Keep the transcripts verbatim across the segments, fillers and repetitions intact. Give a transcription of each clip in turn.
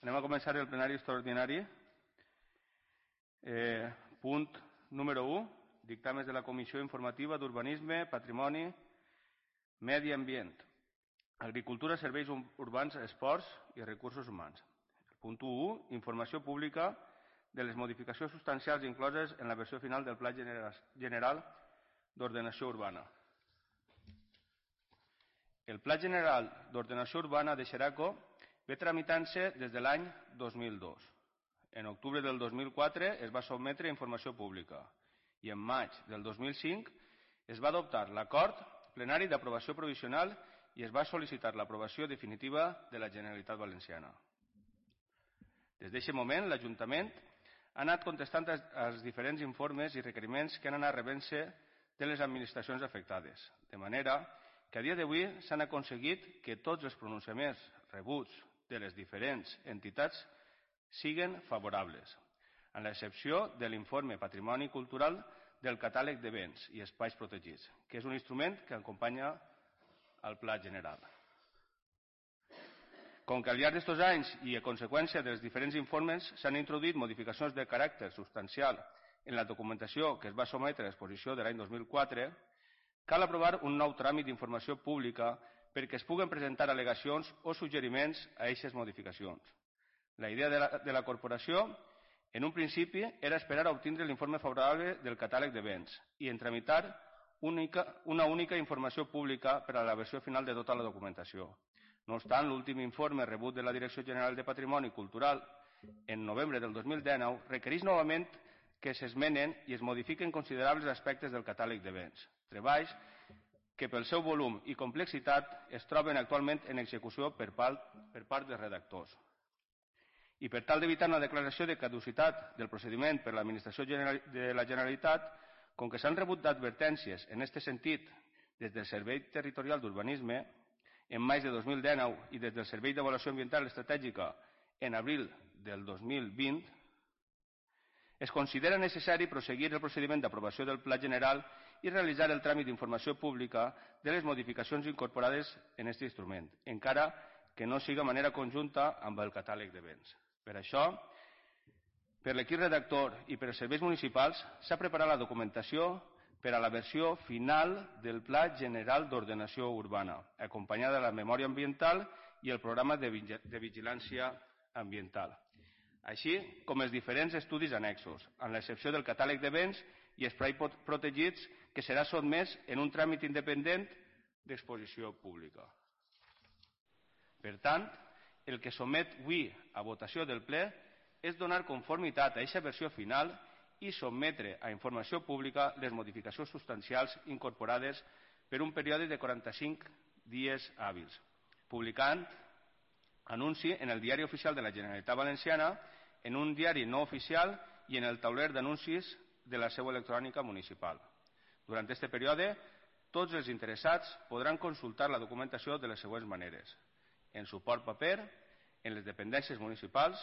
Anem a començar el plenari extraordinari. Eh, punt número u, dictàmens de la Comissió Informativa d'Urbanisme, Patrimoni, Medi Ambient, Agricultura, Serveis Urbans, Esports i Recursos Humans. El punt u, informació pública de les modificacions substancials incloses en la versió final del Pla General d'Ordenació Urbana. El Pla General d'Ordenació Urbana de Xeraco ve tramitant-se des de l'any dos mil dos. En octubre del dos mil quatre es va sotmetre a informació pública i en maig del dos mil cinc es va adoptar l'acord plenari d'aprovació provisional i es va sol·licitar l'aprovació definitiva de la Generalitat Valenciana. Des d'aquest moment, l'Ajuntament ha anat contestant als diferents informes i requeriments que han anat rebent-se de les administracions afectades, de manera que a dia d'avui s'han aconseguit que tots els pronunciaments rebuts de les diferents entitats siguen favorables, amb l'excepció de l'informe Patrimoni Cultural del Catàleg de Béns i Espais Protegits, que és un instrument que acompanya el Pla General. Com que al llarg d'aquests anys i a conseqüència dels diferents informes s'han introduït modificacions de caràcter substancial en la documentació que es va sotmetre a l'exposició de l'any dos mil quatre, cal aprovar un nou tràmit d'informació pública perquè es puguen presentar al·legacions o suggeriments a aquestes modificacions. La idea de la, de la corporació, en un principi, era esperar a obtindre l'informe favorable del catàleg de béns i en tramitar única, una única informació pública per a la versió final de tota la documentació. No obstant, l'últim informe rebut de la Direcció General de Patrimoni Cultural en novembre del dos mil dinou requereix novament que s'esmenen i es modifiquen considerables aspectes del catàleg de béns, treballs que pel seu volum i complexitat es troben actualment en execució per part, per part dels redactors. I per tal d'evitar una declaració de caducitat del procediment per l'Administració de la Generalitat, com que s'han rebut d'advertències en aquest sentit des del Servei Territorial d'Urbanisme en maig de dos mil dinou i des del Servei d'Avaluació Ambiental Estratègica en abril del dos mil vint, es considera necessari proseguir el procediment d'aprovació del Pla General i realitzar el tràmit d'informació pública de les modificacions incorporades en aquest instrument, encara que no siga de manera conjunta amb el catàleg de béns. Per això, per l'equip redactor i per als serveis municipals, s'ha preparat la documentació per a la versió final del Pla General d'Ordenació Urbana, acompanyada de la memòria ambiental i el programa de vigilància ambiental, així com els diferents estudis annexos, amb l'excepció del catàleg de béns i espais protegits, que serà sotmès en un tràmit independent d'exposició pública. Per tant, el que somet avui a votació del ple és donar conformitat a aquesta versió final i sotmetre a informació pública les modificacions substancials incorporades per un període de quaranta-cinc dies hàbils, publicant anunci en el Diari Oficial de la Generalitat Valenciana, en un diari no oficial i en el tauler d'anuncis de la seu electrònica municipal. Durant aquest període, tots els interessats podran consultar la documentació de les següents maneres: en suport paper, en les dependències municipals.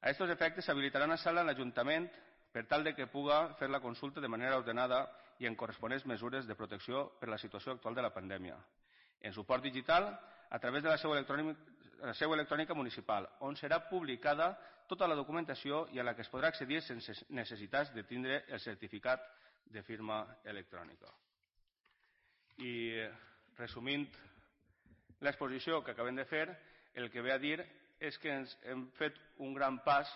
A aquests efectes s'habilitarà una sala a l'Ajuntament per tal de que puga fer la consulta de manera ordenada i en corresponents mesures de protecció per la situació actual de la pandèmia. En suport digital, a través de la seu electrònica, la seu electrònica municipal, on serà publicada tota la documentació i a la que es podrà accedir sense necessitat de tindre el certificat de firma electrònica. I resumint l'exposició que acabem de fer, el que ve a dir és que ens hem fet un gran pas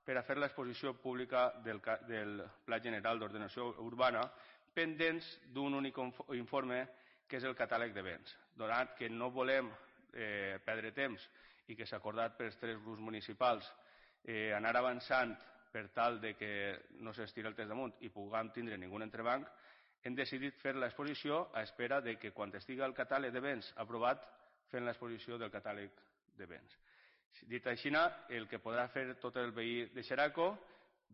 per a fer l'exposició pública del, del Pla General d'Ordenació Urbana, pendents d'un únic informe que és el catàleg de béns. Donat que no volem eh, perdre temps i que s'ha acordat pels tres grups municipals eh, anar avançant per tal de que no s'estiri el temps damunt i puguem tindre ningú entrebanc, hem decidit fer l'exposició a espera de que quan estigui el catàleg de béns aprovat, fem l'exposició del catàleg de béns. Dit així, el que podrà fer tot el veí de Xeraco,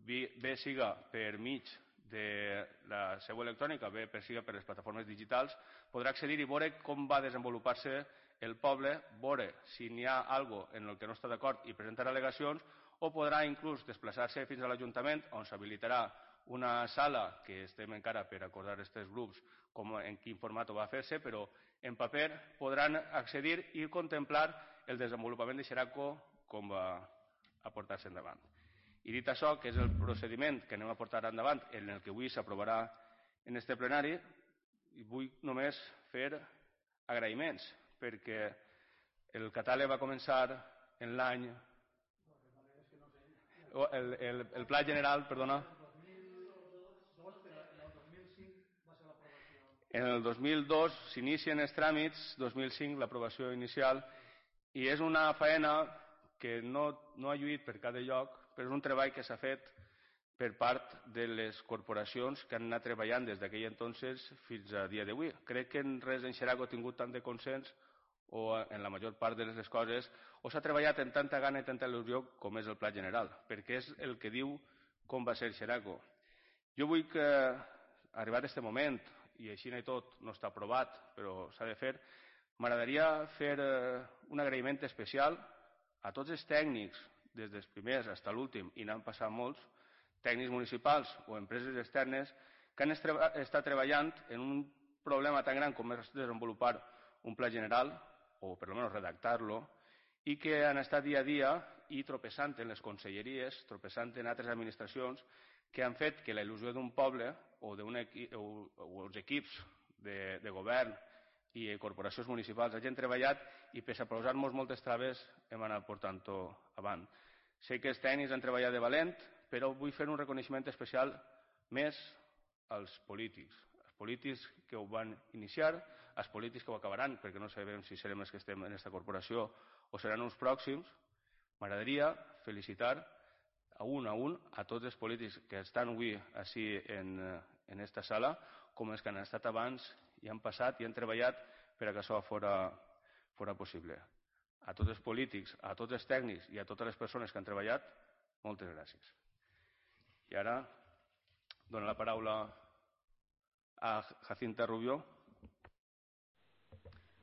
bé siga per mig de la seu electrònica, bé per siga per les plataformes digitals, podrà accedir i veure com va desenvolupar-se el poble, veure si n'hi ha alguna cosa en el que no està d'acord i presentar al·legacions, o podrà inclús desplaçar-se fins a l'Ajuntament, on s'habilitarà una sala que estem encara per acordar aquests grups com, en quin format va fer-se, però en paper podran accedir i contemplar el desenvolupament de Xeraco com va a portar-se endavant. I dit això, que és el procediment que anem a portar endavant, en el que avui s'aprovarà en este plenari, vull només fer agraïments, perquè el catàleg va començar en l'any... El, el, el Pla General, perdona... En el dos mil dos s'inicien els tràmits, dos mil cinc l'aprovació inicial, i és una faena que no, no ha lluït per cada lloc, però és un treball que s'ha fet per part de les corporacions que han anat treballant des d'aquell entonces fins a dia d'avui. Crec que en res en Xeraco ha tingut tant de consens, o en la major part de les coses, o s'ha treballat amb tanta gana i tanta il·lusió com és el Pla General, perquè és el que diu com va ser Xeraco. Jo vull que, arribat a aquest moment, i així i tot no està aprovat, però s'ha de fer, m'agradaria fer un agraïment especial a tots els tècnics, des dels primers fins a l'últim, i n'han passat molts, tècnics municipals o empreses externes, que han estat treballant en un problema tan gran com és desenvolupar un pla general, o per almenys redactar-lo, i que han estat dia a dia i tropeçant en les conselleries, tropeçant en altres administracions, que han fet que la il·lusió d'un poble o, equi o, o els equips de, de govern i corporacions municipals hagin treballat i, pese a posar-nos moltes traves, hem anat portant-ho avant. Sé que els tècnics han treballat de valent, però vull fer un reconeixement especial més als polítics. Els polítics que ho van iniciar, els polítics que ho acabaran, perquè no sabem si serem els que estem en aquesta corporació o seran uns pròxims. M'agradaria felicitar a un a un a tots els polítics que estan avui així en aquesta sala, com els que han estat abans i han passat i han treballat perquè això fora, fora possible. A tots els polítics, a tots els tècnics i a totes les persones que han treballat, moltes gràcies. I ara dono la paraula a Jacinta Rubió,